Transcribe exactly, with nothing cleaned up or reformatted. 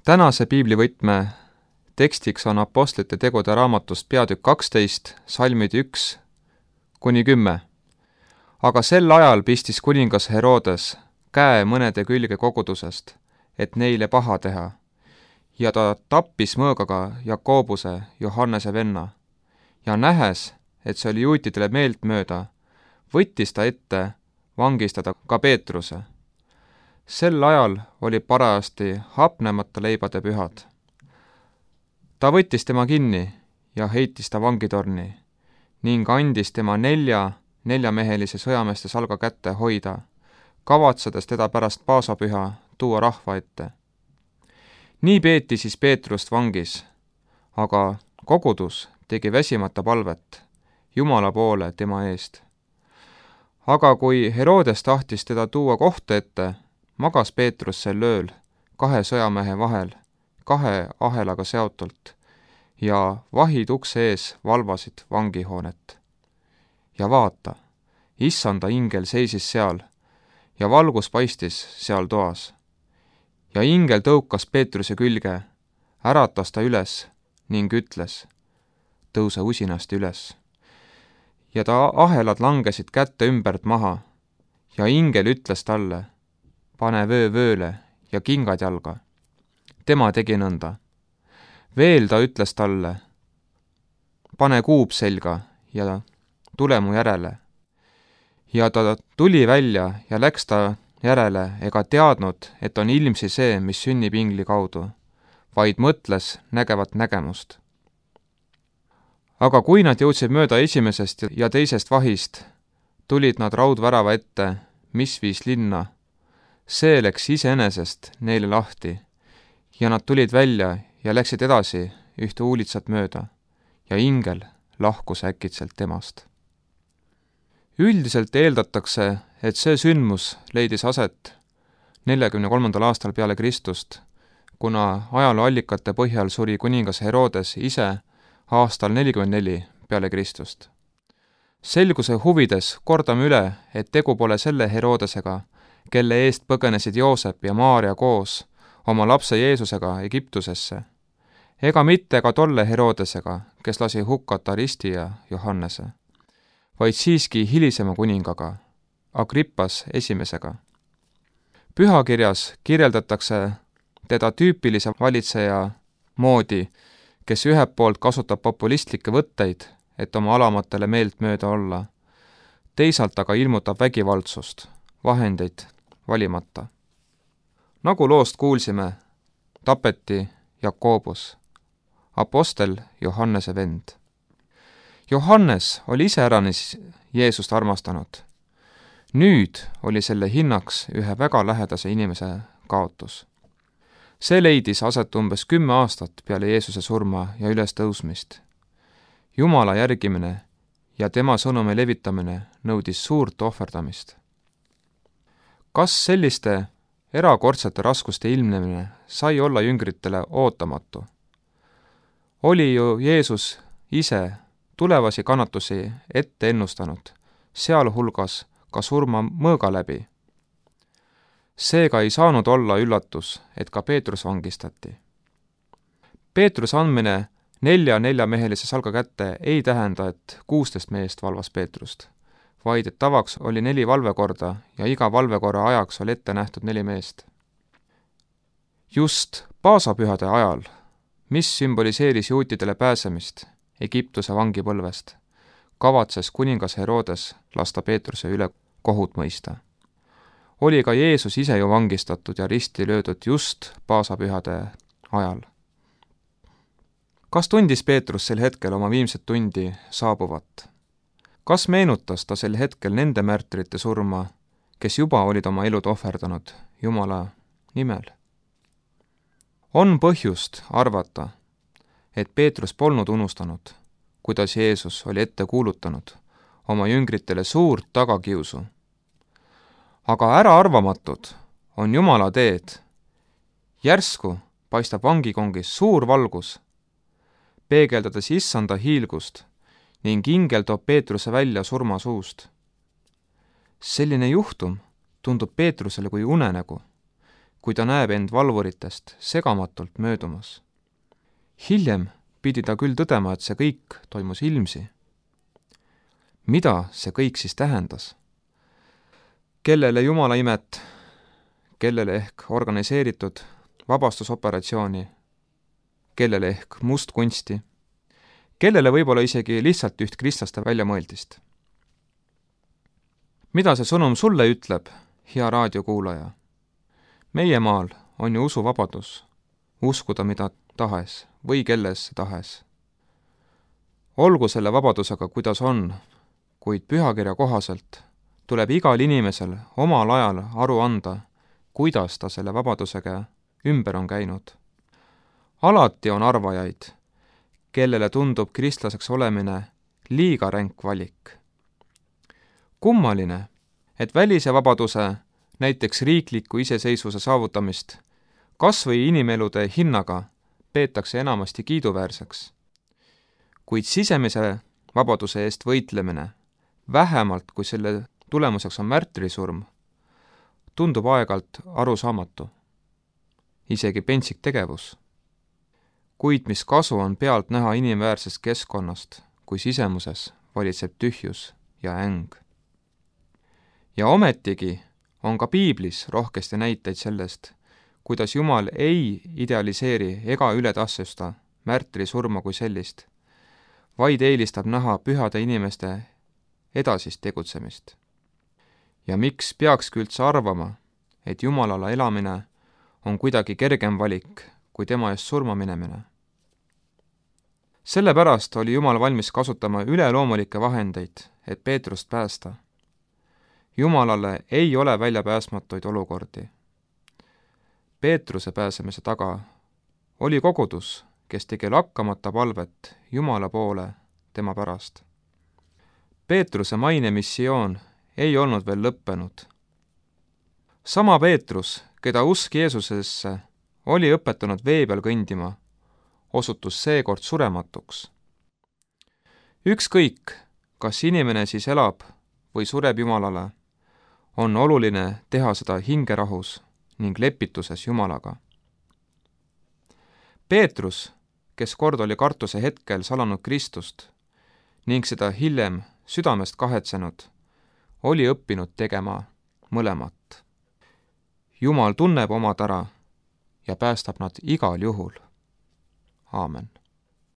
Tänase piiblivõtme tekstiks on Apostlite tegude raamatust peatükk kaksteist, salmid üks kuni kümme. Aga sel ajal pistis kuningas Herodes käe mõnede külge kogudusest, et neile paha teha, ja ta tappis mõõgaga Jakobuse, Johannese venna, ja nähes, et see oli juutidele meeltmööda, võttis ta ette vangistada ka Peetruse. Sel ajal oli parajasti hapnemata leibade pühad. Ta võttis tema kinni ja heitis ta vangitorni ning andis tema nelja neljamehelise sõjameeste salga kätte hoida, kavatsedes teda pärast paasapüha tuua rahva ette. Nii peeti siis Peetrust vangis, aga kogudus tegi väsimata palvet Jumala poole tema eest. Aga kui Herodes tahtis teda tuua kohtu ette, magas Peetrus sel ööl kahe sõjamehe vahel, kahe ahelaga seotult, ja vahid ukse ees valvasid vangihoonet. Ja vaata, issanda ingel seisis seal, ja valgus paistis seal toas. Ja ingel tõukas Peetruse külge, äratas ta üles ning ütles, tõuse usinasti üles. Ja ta ahelad langesid kätte ümbert maha, ja ingel ütles talle, pane vöö vööle ja kingad jalga. Tema tegi nõnda. Veel ta ütles talle, pane kuub selga ja tule mu järele. Ja ta tuli välja ja läks ta järele ega teadnud, et on ilmsi see, mis sünnib ingli kaudu, vaid mõtles nägevat nägemust. Aga kui nad jõudsid mööda esimesest ja teisest vahist, tulid nad raudvärava ette, mis viis linna. See läks iseenesest neile lahti ja nad tulid välja ja läksid edasi ühte uulitsat mööda ja ingel lahkus äkitselt temast. Üldiselt eeldatakse, et see sündmus leidis aset neljakümne kolmandal aastal peale Kristust, kuna ajalooallikate põhjal suri kuningas Herodes ise aastal nelikümmend neli peale Kristust. Selguse huvides kordame üle, et tegu pole selle Herodesega, kelle eest põgenesid Joosep ja Maaria koos oma lapse Jeesusega Egiptusesse, ega mitte ka tolle Herodesega, kes lasi hukkata Risti ja Johannese, vaid siiski hilisema kuningaga, Agrippas esimesega. Pühakirjas kirjeldatakse teda tüüpilise valitseja moodi, kes ühelt poolt kasutab populistlikke võtteid, et oma alamatele meelt mööda olla, teisalt aga ilmutab vägivaldsust, vahendeid valimata. Nagu loost kuulsime, tapeti Jakobus, apostel Johannese vend. Johannes oli iseäranis Jeesust armastanud. Nüüd oli selle hinnaks ühe väga lähedase inimese kaotus. See leidis aset umbes kümme aastat peale Jeesuse surma ja ülestõusmist. Jumala järgimine ja tema sõnumi levitamine nõudis suurt ohverdamist. Kas selliste erakordsete raskuste ilmnemine sai olla jüngritele ootamatu? Oli ju Jeesus ise tulevasi kannatusi ette ennustanud, sealhulgas ka surma mõõga läbi. Seega ei saanud olla üllatus, et ka Peetrus vangistati. Peetrus andmine nelja neljamehelise salga kätte ei tähenda, et kuusteist meest valvas Peetrust, vaid et tavaks oli neli valvekorda ja iga valvekorra ajaks oli ette nähtud neli meest. Just paasapühade ajal, mis sümboliseeris juutidele pääsemist Egiptuse vangipõlvest, kavatses kuningas Herodes lasta Peetruse üle kohut mõista. Oli ka Jeesus ise ju vangistatud ja risti löödud just paasapühade ajal. Kas tundis Peetrus sel hetkel oma viimset tundi saabuvat? Kas meenutas ta sel hetkel nende märtrite surma, kes juba olid oma elud ohverdanud Jumala nimel? On põhjust arvata, et Peetrus polnud unustanud, kuidas Jeesus oli ette kuulutanud oma jüngritele suurt tagakiusu. Aga äraarvamatud on Jumala teed. Järsku paistab vangikongis suur valgus, peegeldades issanda hiilgust ning ingel toob Peetruse välja surmasuust. Selline juhtum tundub Peetrusele kui unenägu, kui ta näeb end valvuritest segamatult möödumas. Hiljem pidi ta küll tõdema, et see kõik toimus ilmsi. Mida see kõik siis tähendas? Kellele Jumala imet, kellele ehk organiseeritud vabastusoperatsiooni, kellele ehk mustkunsti, kellele võib-olla isegi lihtsalt üht kristlaste väljamõeldist. Mida see sõnum sulle ütleb, hea raadiokuulaja? Meie maal on ju usuvabadus, uskuda mida tahes või kelles tahes. Olgu selle vabadusega, kuidas on, kuid pühakirja kohaselt tuleb igal inimesel omal ajal aru anda, kuidas ta selle vabadusega ümber on käinud. Alati on arvajaid, kellele tundub kristlaseks olemine liiga ränk valik. Kummaline, et välise vabaduse, näiteks riikliku iseseisvuse saavutamist, kas või inimelude hinnaga peetakse enamasti kiiduväärseks. Kuid sisemise vabaduse eest võitlemine, vähemalt kui selle tulemuseks on märtrisurm, tundub aeg-ajalt arusaamatu, isegi pentsik tegevus. Kuid mis kasu on pealt näha inimväärsest keskkonnast, kui sisemuses valitseb tühjus ja äng. Ja ometigi on ka piiblis rohkesti näiteid sellest, kuidas Jumal ei idealiseeri ega ületassusta märtrisurma kui sellist, vaid eelistab näha pühade inimeste edasist tegutsemist. Ja miks peakski üldse arvama, et Jumalale elamine on kuidagi kergem valik kui tema eest surma minemine? Sellepärast oli Jumal valmis kasutama üleloomulikke vahendeid, et Peetrust päästa. Jumalale ei ole väljapääsmatuid olukordi. Peetruse pääsemise taga oli kogudus, kes tegi lakkamata palvet Jumala poole tema pärast. Peetruse maine missioon ei olnud veel lõppenud. Sama Peetrus, keda usk Jeesusesse oli õpetanud vee peal kõndima, osutus seekord surematuks. Ükskõik, kas inimene siis elab või sureb Jumalale, on oluline teha seda hingerahus ning lepituses Jumalaga. Peetrus, kes kord oli kartuse hetkel salanud Kristust ning seda hiljem südamest kahetsenud, oli õppinud tegema mõlemat. Jumal tunneb omad ära ja päästab nad igal juhul. Aamen.